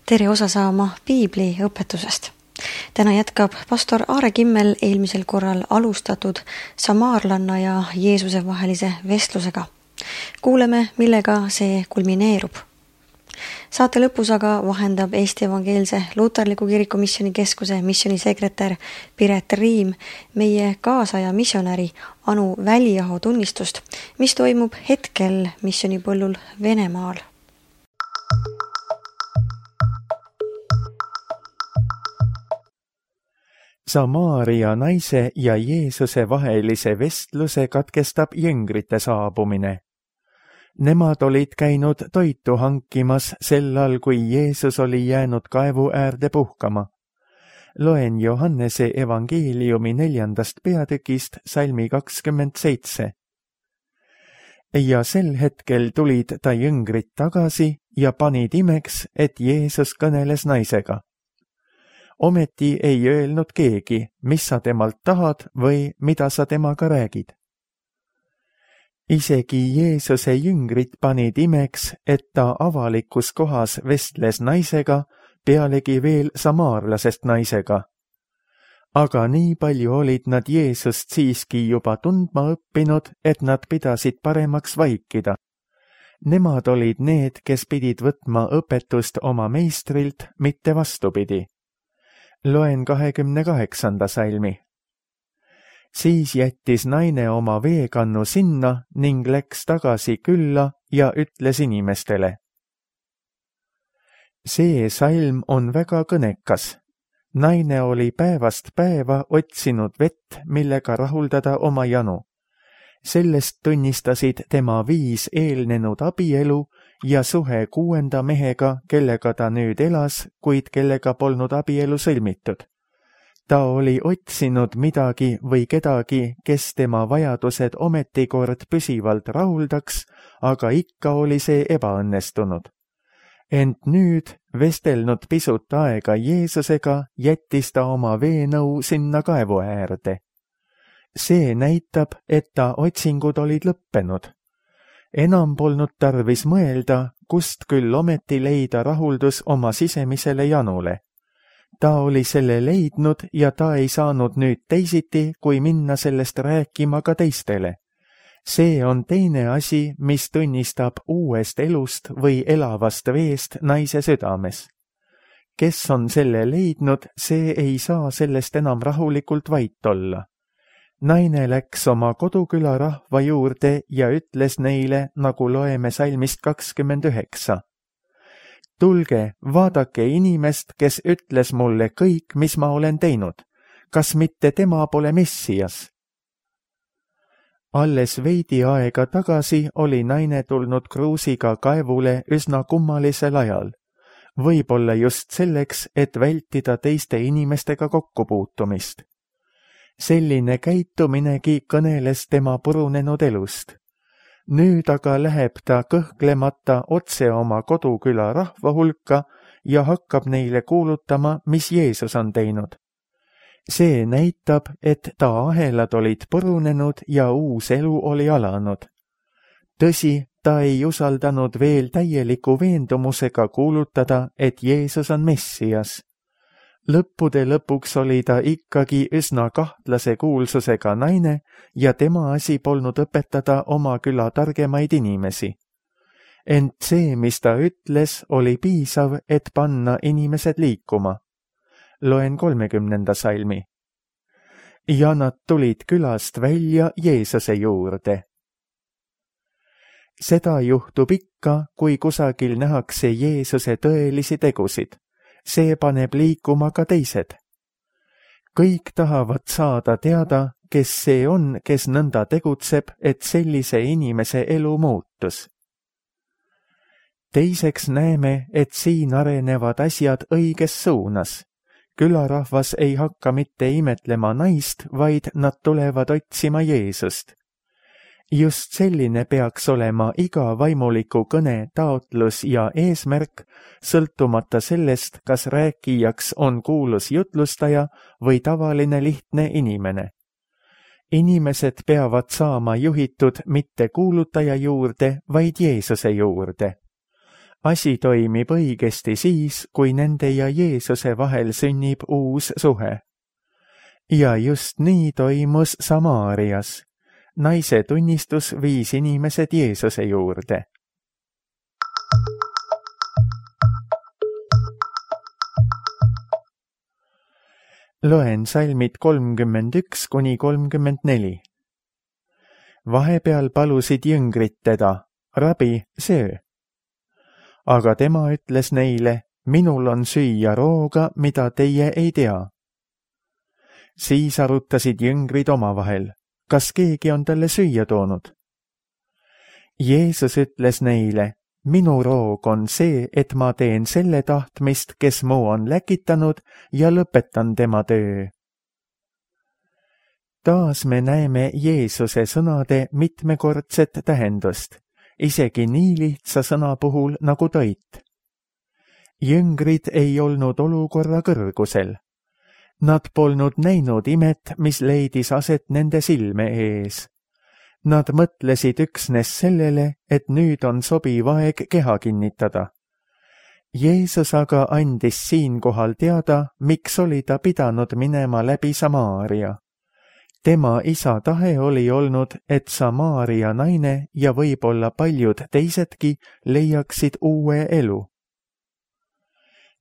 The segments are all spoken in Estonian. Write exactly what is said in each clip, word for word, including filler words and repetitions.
tere osa saama piibli õpetusest. Täna jätkab pastor Aare Kimmel eelmisel korral alustatud samaarlanna ja Jeesuse vahelise vestlusega. Kuuleme, millega see kulmineerub. Saate lõpus aga vahendab Eesti Evangeelse Luterliku Kiriku Missiooni Keskuse missionisekretär Piret Riim meie kaasaja missionäri Anu Väliaho tunnistust, mis toimub hetkel missionipõllul Venemaal. Samaaria naise ja Jeesuse vahelise vestluse katkestab jüngrite saabumine. Nemad olid käinud toitu hankimas sellal, kui Jeesus oli jäänud kaevu äärde puhkama. Loen Johannese evangeeliumi neljandast peatükist salmi kakskümmend seitse. Ja sel hetkel tulid ta jüngrid tagasi ja panid imeks, et Jeesus kõneles naisega. Ometi ei öelnud keegi, mis sa temalt tahad või mida sa temaga räägid. Isegi Jeesuse jüngrid panid imeks, et ta avalikus kohas vestles naisega, pealegi veel samaarlasest naisega. Aga nii palju olid nad Jeesust siiski juba tundma õppinud, et nad pidasid paremaks vaikida. Nemad olid need, kes pidid võtma õpetust oma meistrilt, mitte vastupidi. Loen kahekümne kaheksanda salmi. Siis jättis naine oma veekannu sinna ning läks tagasi külla ja ütles inimestele. See salm on väga kõnekas. Naine oli päevast päeva otsinud vett, millega rahuldada oma janu. Sellest tunnistasid tema viis eelnenud abielu ja suhe kuuenda mehega, kellega ta nüüd elas, kuid kellega polnud abielu sõlmitud. Ta oli otsinud midagi või kedagi, kes tema vajadused ometikord püsivalt rahuldaks, aga ikka oli see ebaõnnestunud. Ent nüüd, vestelnud pisut aega Jeesusega, jättis ta oma veenõu sinna kaevu äärde. See näitab, et ta otsingud olid lõppenud. Enam polnud tarvis mõelda, kust küll ometi leida rahuldus oma sisemisele janule. Ta oli selle leidnud ja ta ei saanud nüüd teisiti, kui minna sellest rääkima ka teistele. See on teine asi, mis tunnistab uuest elust või elavast veest naise südames. Kes on selle leidnud, see ei saa sellest enam rahulikult vait olla. Naine läks oma koduküla rahva juurde ja ütles neile, nagu loeme salmist kakskümmend üheksa. Tulge, vaadake inimest, kes ütles mulle kõik, mis ma olen teinud. Kas mitte tema pole Messias? Alles veidi aega tagasi oli naine tulnud kruusiga kaevule üsna kummalisel ajal. Võib-olla just selleks, et vältida teiste inimestega kokkupuutumist. Selline käituminegi kõneles tema purunenud elust. Nüüd aga läheb ta kõhklemata otse oma koduküla rahva hulka ja hakkab neile kuulutama, mis Jeesus on teinud. See näitab, et ta ahelad olid purunenud ja uus elu oli alanud. Tõsi, ta ei usaldanud veel täieliku veendumusega kuulutada, et Jeesus on Messias. Lõppude lõpuks oli ta ikkagi üsna kahtlase kuulsusega naine ja tema asi polnud õpetada oma küla targemaid inimesi. Ent see, mis ta ütles, oli piisav, et panna inimesed liikuma. Loen kolmekümnenda salmi. Ja nad tulid külast välja Jeesuse juurde. Seda juhtub ikka, kui kusagil nähakse Jeesuse tõelisi tegusid. See paneb liikuma ka teised. Kõik tahavad saada teada, kes see on, kes nõnda tegutseb, et sellise inimese elu muutus. Teiseks näeme, et siin arenevad asjad õiges suunas. Külarahvas ei hakka mitte imetlema naist, vaid nad tulevad otsima Jeesust. Just selline peaks olema iga vaimuliku kõne taotlus ja eesmärk, sõltumata sellest, kas rääkijaks on kuulus jutlustaja või tavaline lihtne inimene. Inimesed peavad saama juhitud mitte kuulutaja juurde, vaid Jeesuse juurde. asi toimib õigesti siis, kui nende ja Jeesuse vahel sünnib uus suhe. Ja just nii toimus Samaarias. Naise tunnistus viis inimesed Jeesuse juurde. Loen salmid kolmkümmend üks kuni kolmkümmend neli. Vahepeal palusid jüngrid teda, rabi, söö. Aga tema ütles neile, minul on süüa rooga, mida teie ei tea. Siis arutasid jüngrid omavahel, kas keegi on talle süüa toonud. Jeesus ütles neile, minu roog on see, et ma teen selle tahtmist, kes mu on läkitanud ja lõpetan tema töö. Taas me näeme Jeesuse sõnade mitmekordset tähendust, isegi nii lihtsa sõna puhul nagu toit. Jüngrid ei olnud olukorra kõrgusel. Nad polnud näinud imet, mis leidis aset nende silme ees. Nad mõtlesid üksnes sellele, et nüüd on sobiv aeg keha kinnitada. Jeesus aga andis siinkohal teada, miks oli ta pidanud minema läbi Samaaria. Tema isa tahe oli olnud, et Samaaria naine ja võib-olla paljud teisedki leiaksid uue elu.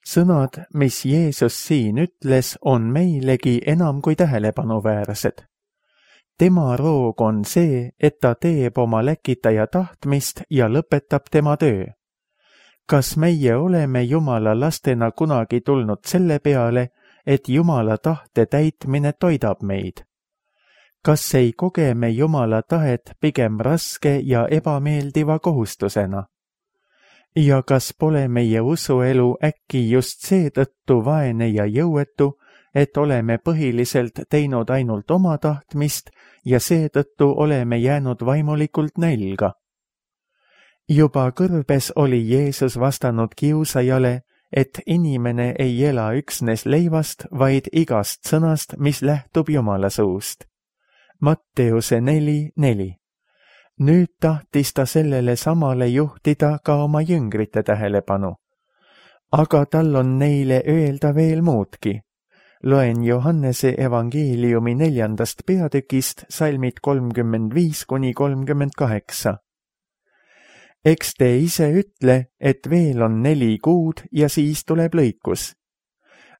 Sõnad, mis Jeesus siin ütles, on meilegi enam kui tähelepanuväärsed. Tema roog on see, et ta teeb oma läkitaja tahtmist ja lõpetab tema töö. Kas meie oleme Jumala lastena kunagi tulnud selle peale, et Jumala tahte täitmine toidab meid? Kas ei koge me Jumala tahet pigem raske ja ebameeldiva kohustusena? Ja kas pole meie usuelu äkki just seetõttu vaene ja jõuetu, et oleme põhiliselt teinud ainult oma tahtmist ja seetõttu oleme jäänud vaimulikult nälga? Juba kõrbes oli Jeesus vastanud kiusajale, et inimene ei ela üksnes leivast, vaid igast sõnast, mis lähtub Jumala suust. Matteuse neli neli. Nüüd tahtis ta sellele samale juhtida ka oma jüngrite tähelepanu. Aga tal on neile öelda veel muudki. Loen Johannese evangeeliumi neljandast peatükist salmid kolmkümmend viis kuni kolmkümmend kaheksa. Eks te ise ütle, et veel on neli kuud ja siis tuleb lõikus.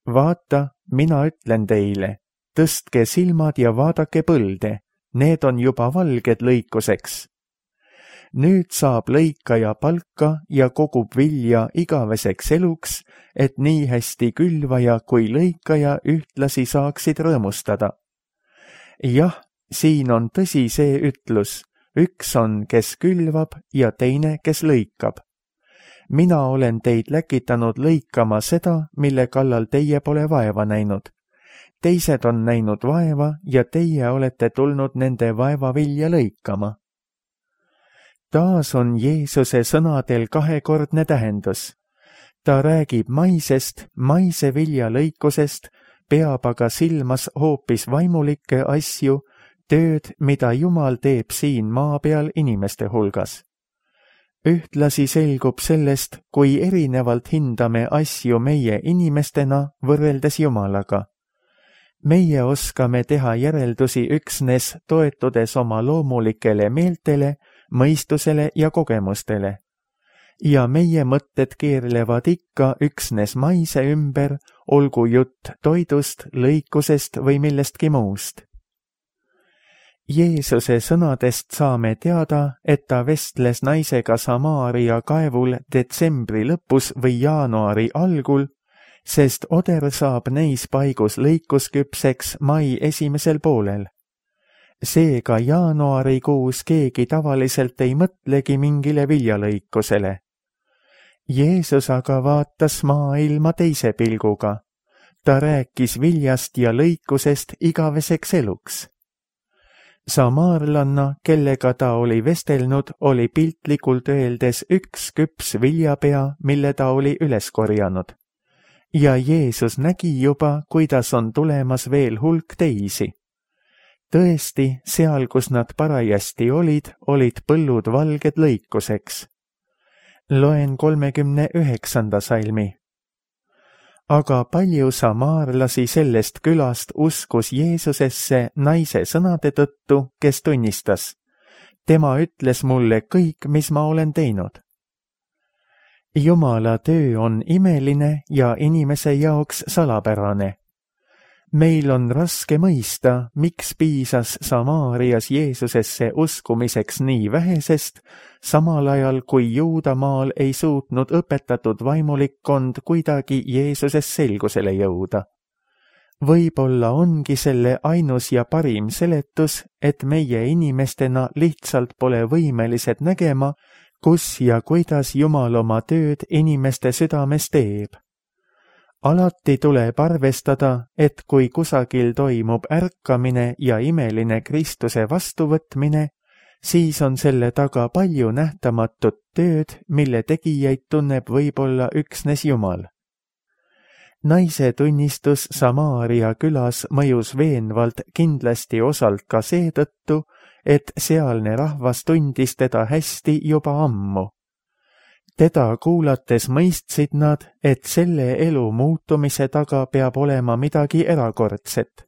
Vaata, mina ütlen teile, tõstke silmad ja vaadake põlde. Need on juba valged lõikuseks. Nüüd saab lõikaja palka ja kogub vilja igaveseks eluks, et nii hästi külvaja kui lõikaja ühtlasi saaksid rõõmustada. Jah, siin on tõsi see ütlus, üks on, kes külvab ja teine, kes lõikab. Mina olen teid läkitanud lõikama seda, mille kallal teie pole vaeva näinud. Teised on näinud vaeva ja teie olete tulnud nende vaeva vilja lõikama. Taas on Jeesuse sõnadel kahekordne tähendus. Ta räägib maisest, maise vilja lõikusest, peab aga silmas hoopis vaimulikke asju, tööd, mida Jumal teeb siin maa peal inimeste hulgas. Ühtlasi selgub sellest, kui erinevalt hindame asju meie inimestena võrreldes Jumalaga. Meie oskame teha järeldusi üksnes toetudes oma loomulikele meeltele, mõistusele ja kogemustele. Ja meie mõtted keerlevad ikka üksnes maise ümber, olgu jutt toidust, lõikusest või millestki muust. Jeesuse sõnadest saame teada, et ta vestles naisega Samaaria kaevul detsembri lõpus või jaanuari algul, sest oder saab neis paigus lõikusküpseks mai esimesel poolel. Seega jaanuarikuus keegi tavaliselt ei mõtlegi mingile viljalõikusele. Jeesus aga vaatas maailma teise pilguga. Ta rääkis viljast ja lõikusest igaveseks eluks. Samaarlanna, kellega ta oli vestelnud, oli piltlikult öeldes üks küps viljapea, mille ta oli üles korjanud. Ja Jeesus nägi juba, kuidas on tulemas veel hulk teisi. Tõesti, seal, kus nad parajasti olid, olid põllud valged lõikuseks. Loen kolmekümne üheksanda salmi. Aga palju samaarlasi sellest külast uskus Jeesusesse naise sõnade tõttu, kes tunnistas: tema ütles mulle kõik, mis ma olen teinud. Jumala töö on imeline ja inimese jaoks salapärane. Meil on raske mõista, miks piisas Samaarias Jeesusesse uskumiseks nii vähesest, samal ajal kui Juudamaal ei suutnud õpetatud vaimulikkond kuidagi Jeesuses selgusele jõuda. Võib-olla ongi selle ainus ja parim seletus, et meie inimestena lihtsalt pole võimelised nägema, kus ja kuidas Jumal oma tööd inimeste südames teeb. Alati tuleb arvestada, et kui kusagil toimub ärkamine ja imeline Kristuse vastuvõtmine, siis on selle taga palju nähtamatut tööd, mille tegijaid tunneb võib-olla üksnes Jumal. Naise tunnistus Samaaria külas mõjus veenvalt kindlasti osalt ka seetõttu, et sealne rahvas tundis teda hästi juba ammu. Teda kuulates mõistsid nad, et selle elu muutumise taga peab olema midagi erakordset.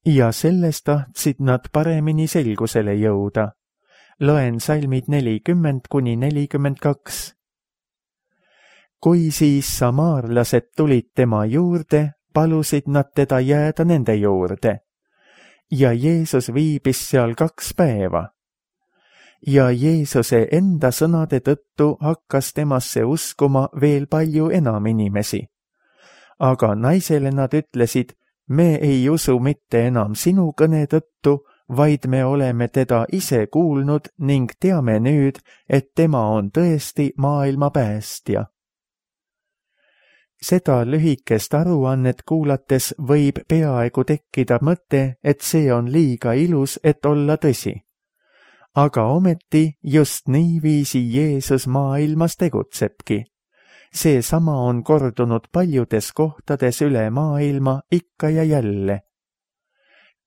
Ja sellest tahtsid nad paremini selgusele jõuda. Loen salmid nelikümmend kuni nelikümmend kaks. Kui siis samaarlased tulid tema juurde, palusid nad teda jääda nende juurde. Ja Jeesus viibis seal kaks päeva. Ja Jeesuse enda sõnade tõttu hakkas temasse uskuma veel palju enam inimesi. Aga naisele nad ütlesid: me ei usu mitte enam sinu kõne tõttu, vaid me oleme teda ise kuulnud ning teame nüüd, et tema on tõesti maailma päästja. Seda lühikest aruannet kuulates võib peaaegu tekkida mõte, et see on liiga ilus, et olla tõsi. Aga ometi just niiviisi Jeesus maailmas tegutsebki. Seesama on kordunud paljudes kohtades üle maailma ikka ja jälle.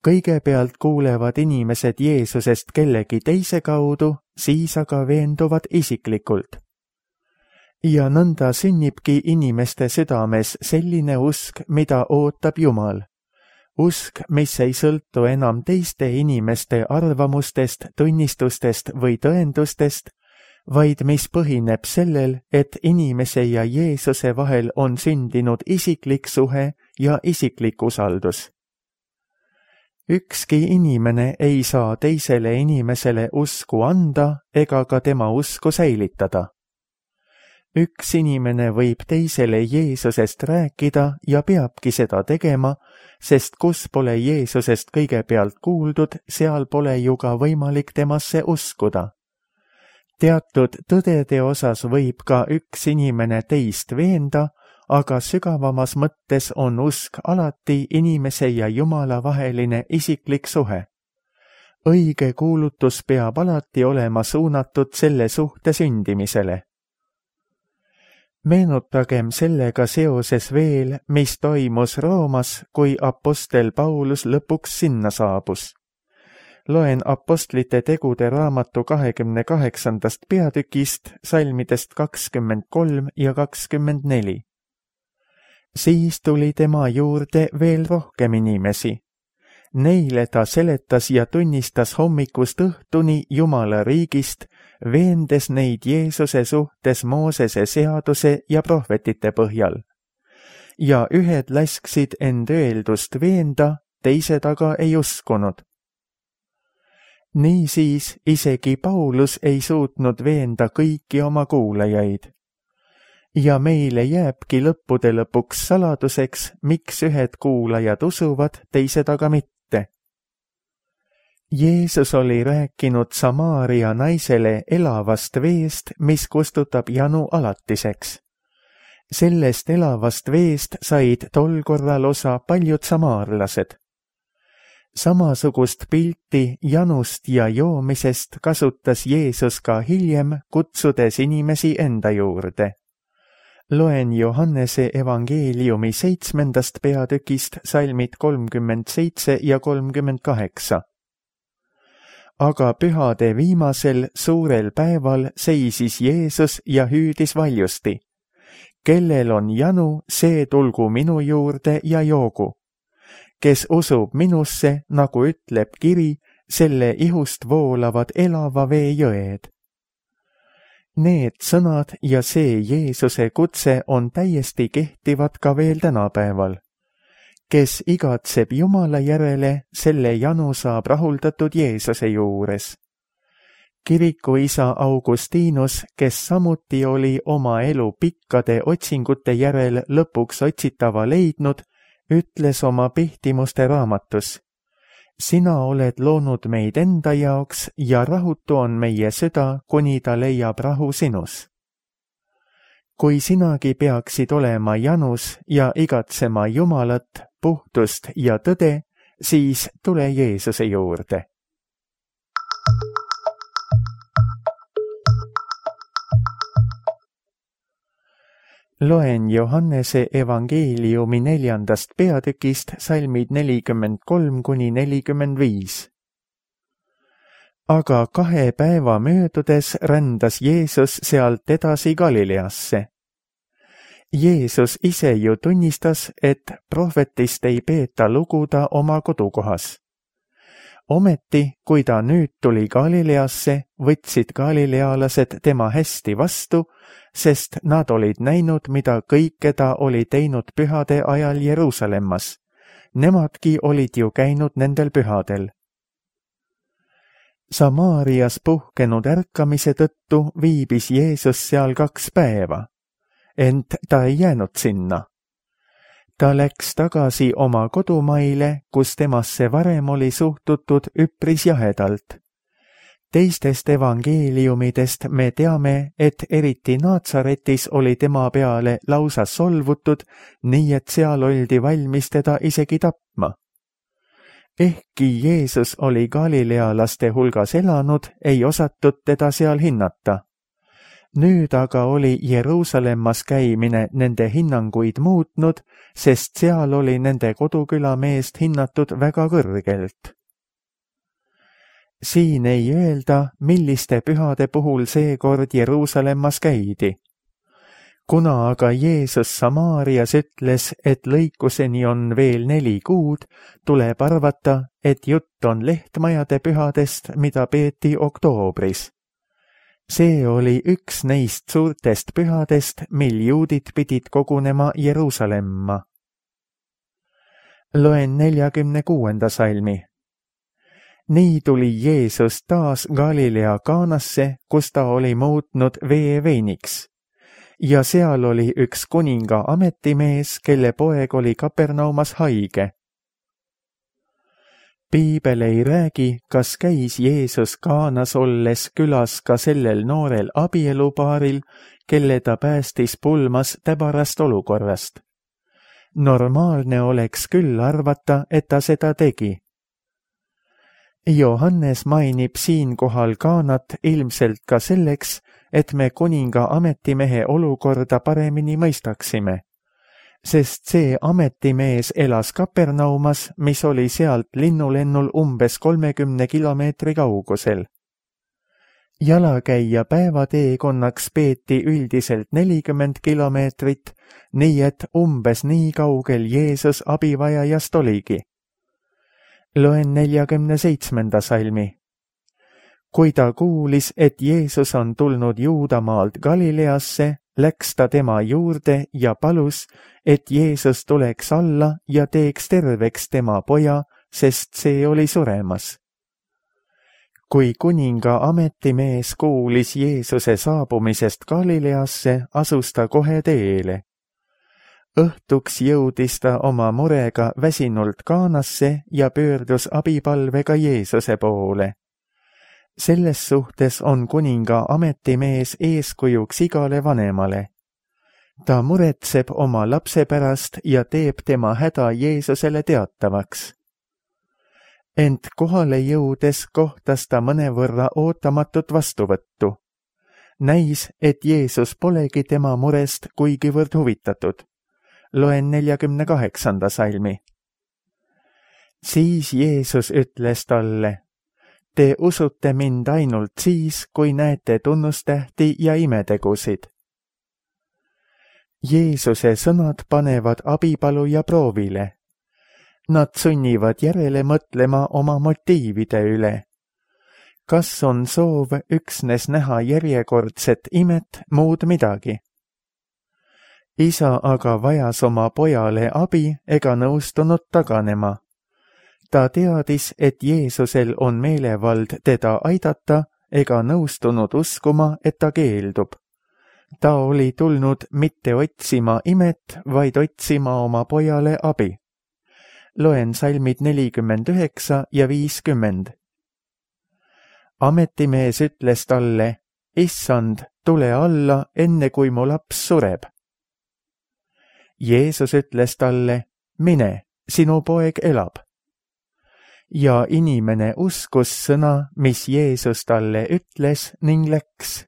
Kõigepealt kuulevad inimesed Jeesusest kellegi teise kaudu, siis aga veenduvad isiklikult. Ja nõnda sünnibki inimeste südames selline usk, mida ootab Jumal. Usk, mis ei sõltu enam teiste inimeste arvamustest, tunnistustest või tõendustest, vaid mis põhineb sellel, et inimese ja Jeesuse vahel on sündinud isiklik suhe ja isiklik usaldus. Ükski inimene ei saa teisele inimesele usku anda ega ka tema usku säilitada. Üks inimene võib teisele Jeesusest rääkida ja peabki seda tegema, sest kus pole Jeesusest kõigepealt kuuldud, seal pole ju ka võimalik temasse uskuda. Teatud tõdede osas võib ka üks inimene teist veenda, aga sügavamas mõttes on usk alati inimese ja Jumala vaheline isiklik suhe. Õige kuulutus peab alati olema suunatud selle suhte sündimisele. Meenutagem sellega seoses veel, mis toimus Roomas, kui apostel Paulus lõpuks sinna saabus. Loen apostlite tegude raamatu kahekümne kaheksandast peatükist, salmidest kakskümmend kolm ja kakskümmend neli. Siis tuli tema juurde veel rohkem inimesi. Neile ta seletas ja tunnistas hommikust õhtuni Jumala riigist, veendes neid Jeesuse suhtes Moosese seaduse ja prohvetite põhjal. Ja ühed lasksid end öeldust veenda, teised aga ei uskunud. Niisiis isegi Paulus ei suutnud veenda kõiki oma kuulajaid. Ja meile jääbki lõppude lõpuks saladuseks, miks ühed kuulajad usuvad, teised aga mitte. Jeesus oli rääkinud Samaaria naisele elavast veest, mis kustutab janu alatiseks. Sellest elavast veest said tol korral osa paljud samaarlased. Samasugust pilti janust ja joomisest kasutas Jeesus ka hiljem, kutsudes inimesi enda juurde. Loen Johannese evangeeliumi seitsmendast peatükist salmid kolmkümmend seitse ja kolmkümmend kaheksa. aga pühade viimasel suurel päeval seisis Jeesus ja hüüdis valjusti. Kellel on janu, see tulgu minu juurde ja joogu. Kes usub minusse, nagu ütleb kiri, selle ihust voolavad elava vee jõed. Need sõnad ja see Jeesuse kutse on täiesti kehtivad ka veel tänapäeval. Kes igatseb Jumala järele, selle janu saab rahuldatud Jeesuse juures. Kirikuisa Augustinus, kes samuti oli oma elu pikkade otsingute järel lõpuks otsitava leidnud, ütles oma Pihtimuste raamatus: sina oled loonud meid enda jaoks ja rahutu on meie süda, kuni ta leiab rahu sinus. Kui sinagi peaksid olema janus ja igatsema Jumalat, puhtust ja tõde, siis tule Jeesuse juurde. Loen Johannese evangeeliumi neljandast peatükist salmid nelikümmend kolm kuni nelikümmend viis. Aga kahe päeva möödudes rändas Jeesus sealt edasi Galileasse. Jeesus ise ju tunnistas, et prohvetist ei peeta luguda oma kodukohas. Ometi, kui ta nüüd tuli Galileasse, võtsid galilealased tema hästi vastu, sest nad olid näinud, mida kõike ta oli teinud pühade ajal Jeruusalemmas. Nemadki olid ju käinud nendel pühadel. Samaarias puhkenud ärkamise tõttu viibis Jeesus seal kaks päeva, ent ta ei jäänud sinna. Ta läks tagasi oma kodumaile, kus temasse varem oli suhtutud üpris jahedalt. Teistest evangeeliumidest me teame, et eriti Naatsaretis oli tema peale lausa solvutud, nii et seal oldi valmis teda isegi tapma. Ehkki Jeesus oli galilealaste hulgas elanud, ei osatud teda seal hinnata. Nüüd aga oli Jeruusalemmas käimine nende hinnanguid muutnud, sest seal oli nende koduküla meest hinnatud väga kõrgelt. Siin ei öelda, milliste pühade puhul seekord Jeruusalemmas käidi. Kuna aga Jeesus Samaarias ütles, et lõikuseni on veel neli kuud, tuleb arvata, et jutt on lehtmajade pühadest, mida peeti oktoobris. See oli üks neist suurtest pühadest, mil juudid pidid kogunema Jeruusalemma. Loen neljakümne kuuenda salmi. Nii tuli Jeesus taas Galilea Kaanasse, kus ta oli muutnud vee veiniks. Ja seal oli üks kuninga ametimees, kelle poeg oli Kapernaumas haige. Piibel ei räägi, kas käis Jeesus Kaanas olles külas ka sellel noorel abielupaaril, kelle ta päästis pulmas täbarast olukorrast. Normaalne oleks küll arvata, et ta seda tegi. Johannes mainib siinkohal Kaanat ilmselt ka selleks, et me kuninga ametimehe olukorda paremini mõistaksime. Sest see ametimees elas Kapernaumas, mis oli sealt linnulennul umbes kolmekümne kilomeetri kaugusel. Jalakäija päevateekonnaks peeti üldiselt nelikümmend kilomeetrit, nii et umbes nii kaugel Jeesus abivajajast oligi. Loen neljakümne seitsmenda salmi. Kui ta kuulis, et Jeesus on tulnud Juudamaalt Galileasse, läks ta tema juurde ja palus, et Jeesus tuleks alla ja teeks terveks tema poja, sest see oli suremas. Kui kuninga ametimees kuulis Jeesuse saabumisest Galileasse, asus ta kohe teele. Õhtuks jõudis ta oma murega väsinult Kaanasse ja pöördus abipalvega Jeesuse poole. Selles suhtes on kuninga ametimees eeskujuks igale vanemale. Ta muretseb oma lapse pärast ja teeb tema häda Jeesusele teatavaks. Ent kohale jõudes kohtas ta mõnevõrra ootamatut vastuvõttu. Näis, et Jeesus polegi tema murest kuigivõrd huvitatud. Loen neljakümne kaheksanda salmi. Siis Jeesus ütles talle: Te usute mind ainult siis, kui näete tunnustähti ja imetegusid. Jeesuse sõnad panevad abipaluja proovile. Nad sunnivad järele mõtlema oma motiivide üle. Kas on soov üksnes näha järjekordset imet, muud midagi? Isa aga vajas oma pojale abi ega nõustunud taganema. Ta teadis, et Jeesusel on meelevald teda aidata ega nõustunud uskuma, et ta keeldub. Ta oli tulnud mitte otsima imet, vaid otsima oma pojale abi. Loen salmid nelikümmend üheksa ja viiskümmend. Ametimees ütles talle, issand, tule alla, enne kui mu laps sureb. Jeesus ütles talle, mine, sinu poeg elab. Ja inimene uskus sõna, mis Jeesus talle ütles ning läks.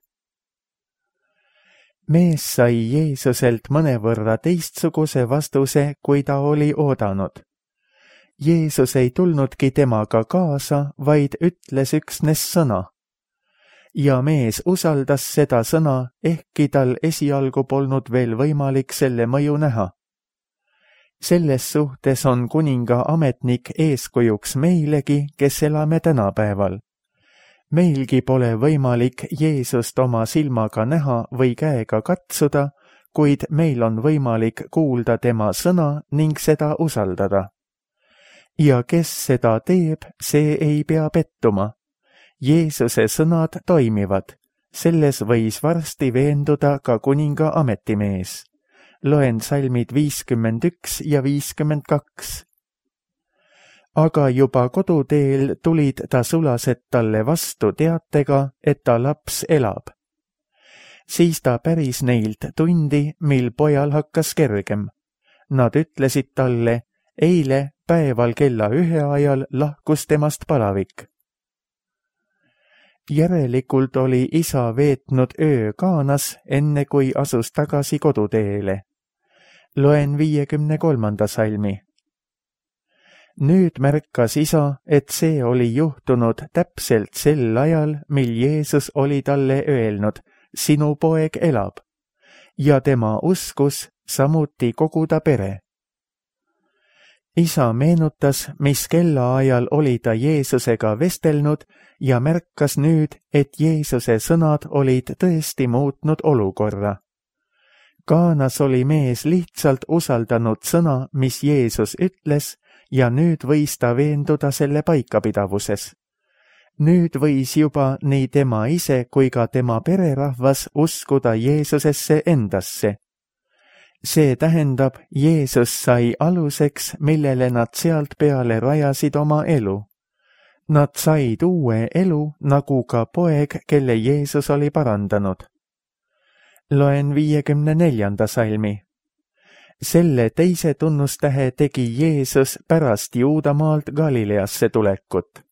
Mees sai Jeesuselt mõnevõrra teistsuguse vastuse, kui ta oli oodanud. Jeesus ei tulnudki temaga kaasa, vaid ütles üksnes sõna. Ja mees usaldas seda sõna, ehkki tal esialgu polnud veel võimalik selle mõju näha. Selles suhtes on kuninga ametnik eeskujuks meilegi, kes elame tänapäeval. Meilgi pole võimalik Jeesust oma silmaga näha või käega katsuda, kuid meil on võimalik kuulda tema sõna ning seda usaldada. Ja kes seda teeb, see ei pea pettuma. Jeesuse sõnad toimivad. Selles võis varsti veenduda ka kuninga ametimees. Loen salmid viiskümmend üks ja viiskümmend kaks. Aga juba koduteel tulid ta sulased talle vastu teatega, et ta laps elab. Siis ta päris neilt tundi, mil pojal hakkas kergem. Nad ütlesid talle, eile päeval kella ühe ajal lahkus temast palavik. Järelikult oli isa veetnud öö Kaanas, enne kui asus tagasi koduteele. Loen viiekümne kolmanda salmi. Nüüd märkas isa, et see oli juhtunud täpselt sel ajal, mil Jeesus oli talle öelnud, sinu poeg elab, ja tema uskus samuti kogu ta pere. Isa meenutas, mis kellaajal oli ta Jeesusega vestelnud ja märkas nüüd, et Jeesuse sõnad olid tõesti muutnud olukorra. Kaanas oli mees lihtsalt usaldanud sõna, mis Jeesus ütles, ja nüüd võis ta veenduda selle paikapidavuses. Nüüd võis juba nii tema ise kui ka tema pererahvas uskuda Jeesusesse endasse. See tähendab, Jeesus sai aluseks, millele nad sealt peale rajasid oma elu. Nad said uue elu, nagu ka poeg, kelle Jeesus oli parandanud. Loen viiekümne neljanda salmi. Selle teise tunnustähe tegi Jeesus pärast Juudamaalt Galileasse tulekut.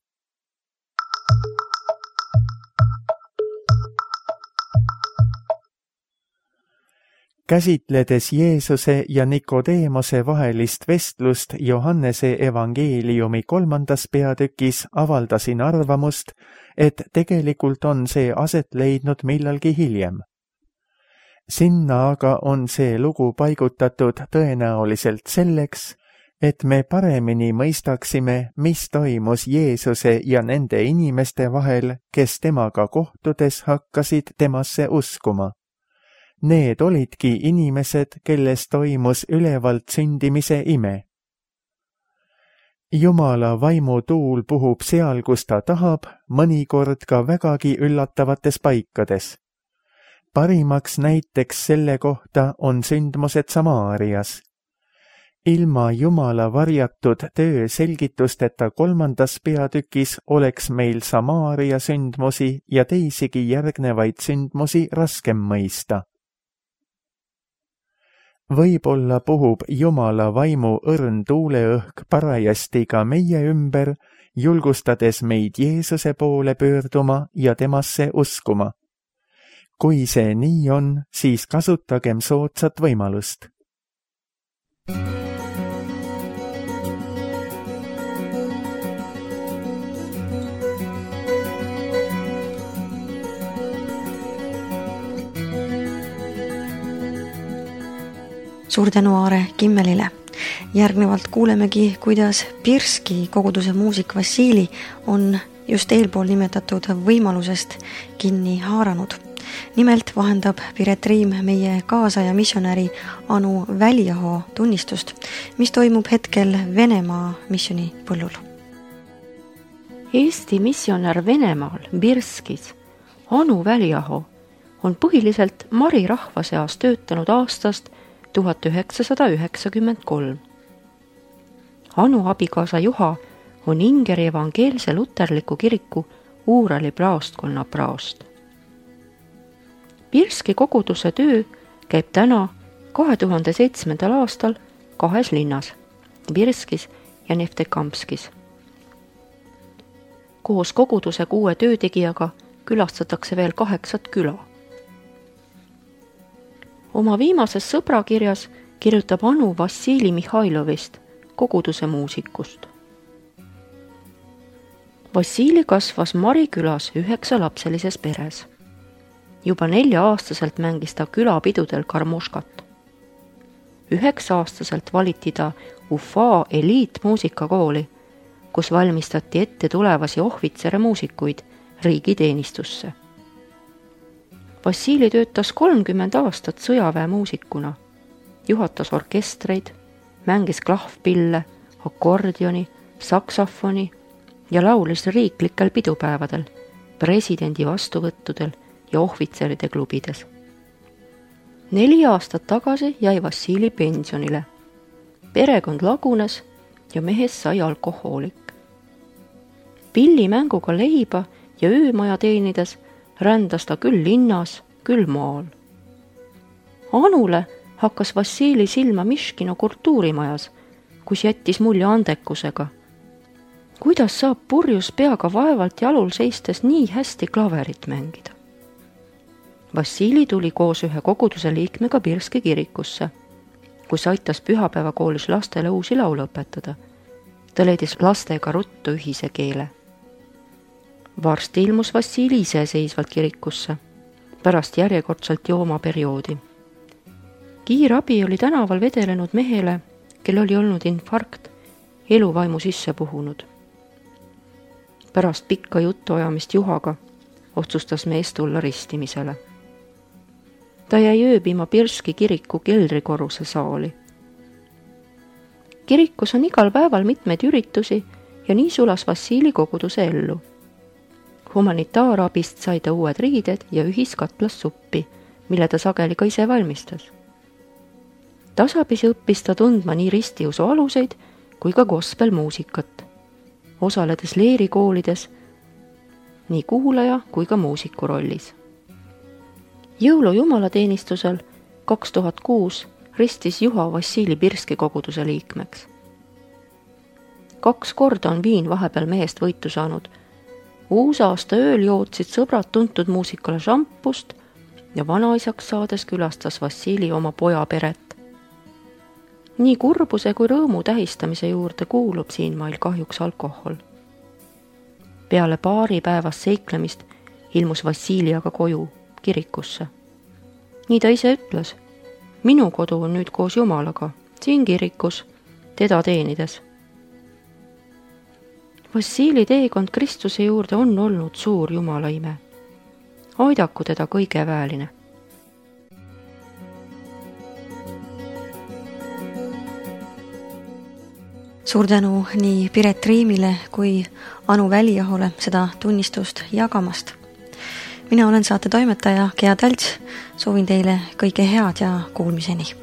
Käsitledes Jeesuse ja Nikodeemose vahelist vestlust Johannese evangeeliumi kolmandas peatükis avaldasin arvamust, et tegelikult on see aset leidnud millalgi hiljem. Sinna aga on see lugu paigutatud tõenäoliselt selleks, et me paremini mõistaksime, mis toimus Jeesuse ja nende inimeste vahel, kes temaga kohtudes hakkasid temasse uskuma. Need olidki inimesed, kelles toimus ülevalt sündimise ime. Jumala vaimu tuul puhub seal, kus ta tahab, mõnikord ka vägagi üllatavates paikades. Parimaks näiteks selle kohta on sündmused Samaarias. Ilma Jumala varjatud töö selgitusteta kolmandas peatükis oleks meil Samaaria sündmusi ja teisigi järgnevaid sündmusi raskem mõista. Võib-olla puhub Jumala vaimu õrn tuuleõhk parajasti ka meie ümber, julgustades meid Jeesuse poole pöörduma ja temasse uskuma. Kui see nii on, siis kasutagem soodsat võimalust. suur tänu Aare Kimmelile. Järgnevalt kuulemegi, kuidas Birski koguduse muusik Vassili on just eelpool nimetatud võimalusest kinni haaranud. Nimelt vahendab Piret Riim meie kaasaja missionäri Anu Väliaho tunnistust, mis toimub hetkel Venemaa missionipõllul. Eesti missionär Venemaal Birskis Anu Väliaho on põhiliselt Mari rahva seas töötanud aastast tuhat üheksasada üheksakümmend kolm. Anu abikaasa Juha on Ingeri evangeelse luterliku kiriku Uurali praostkonna praost. Birski koguduse töö käib täna kahe tuhande seitsmendal aastal kahes linnas, Birskis ja Neftekamskis. Koos koguduse kuue töötegijaga külastatakse veel kaheksat küla. Oma viimases sõbrakirjas kirjutab Anu Vassili Mihhailovist, koguduse muusikust. Vassili kasvas Mari külas üheksa lapselises peres. Juba nelja-aastaselt mängis ta külapidudel karmoškat. Üheksa-aastaselt valiti ta Ufa eliitmuusikakooli, kus valmistati ette tulevasi ohvitsere muusikuid riigiteenistusse. Vassili töötas kolmkümmend aastat sõjaväemuusikuna, juhatas orkestreid, mängis klahvpille, akordioni, saksafoni ja laulis riiklikel pidupäevadel, presidendi vastuvõttudel ja ohvitseride klubides. Neli aastat tagasi jäi Vassili pensionile. Perekond lagunes ja mehest sai alkohoolik. Pillimänguga leiba ja öömaja teenides rändas ta küll linnas, küll maal. Anule hakkas Vassili silma Miškino kultuurimajas, kus jättis mulje andekusega. Kuidas saab purjus peaga vaevalt jalul seistes nii hästi klaverit mängida? Vassili tuli koos ühe koguduse liikmega Birski kirikusse, kus aitas pühapäevakoolis lastele uusi laule õpetada. Ta leidis lastega ruttu ühise keele. Varsti ilmus Vassili iseseisvalt kirikusse, pärast järjekordselt joomaperioodi. Kiirabi oli tänaval vedelenud mehele, kel oli olnud infarkt, eluvaimu sisse puhunud. Pärast pikka jutuajamist Juhaga otsustas mees tulla ristimisele. Ta jäi ööbima Birski kiriku keldrikorruse saali. Kirikus on igal päeval mitmeid üritusi ja nii sulas Vassili koguduse ellu. Humanitaarabist sai ta uued riided ja ühiskatlas suppi, mille ta sageli ka ise valmistas. Tasapisi õppis ta tundma nii ristiusu aluseid kui ka gospelmuusikat, osaledes leerikoolides nii kuulaja kui ka muusiku rollis. Jõulu jumalateenistusel kaks tuhat kuus ristis Juha Vassili Birski koguduse liikmeks. Kaks korda on viin vahepeal mehest võitu saanud. Uusaasta ööl jootsid sõbrad tuntud muusikale šampust ja vanaisaks saades külastas Vassili oma poja peret. Nii kurbuse kui rõõmu tähistamise juurde kuulub siinmail kahjuks alkohol. Peale paari päevast seiklemist ilmus Vassili aga koju, kirikusse. Nii ta ise ütles, minu kodu on nüüd koos Jumalaga, siin kirikus, teda teenides. Vassili teekond Kristuse juurde on olnud suur Jumala ime. Aidaku teda kõige väeline. Suur tänu nii Piret Riimile kui Anu Väliahole seda tunnistust jagamast. Mina olen saate toimetaja Gea Talts, soovin teile kõike head ja kuulmiseni.